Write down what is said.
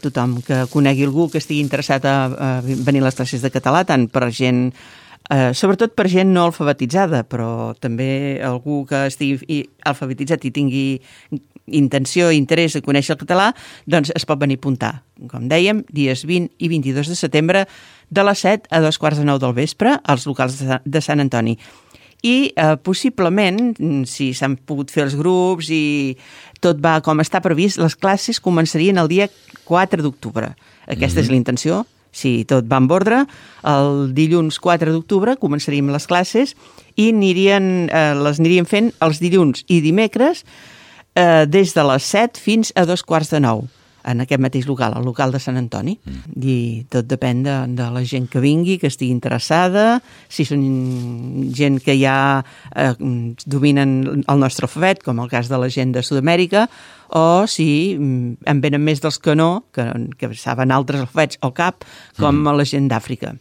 tothom que conegui algú que estigui interessat a venir a les classes de català, tant per gent, sobretot per gent no alfabetitzada, però també algú que estigui alfabetitzat i tingui intenció i interès de conèixer el català, doncs es pot venir a apuntar. Com dèiem, dies 20 i 22 de setembre, de les 7 a 2:15 del vespre, als locals de Sant Antoni. I possiblement, si s'han pogut fer els grups i tot va com està previst, les classes començarien el dia 4 d'octubre. Aquesta és la intenció. Si tot va en ordre, el dilluns 4 d'octubre començaríem les classes i les aniríem fent els dilluns i dimecres des de les 7 fins a 2:15, en aquest mateix local, el local de Sant Antoni. I tot depèn de la gent que vingui, que estigui interessada, si són gent que ja dominen el nostre alfabet, com el cas de la gent de Sud-amèrica, o si en venen més dels que no, que saben altres alfabets o cap, com la gent d'Àfrica.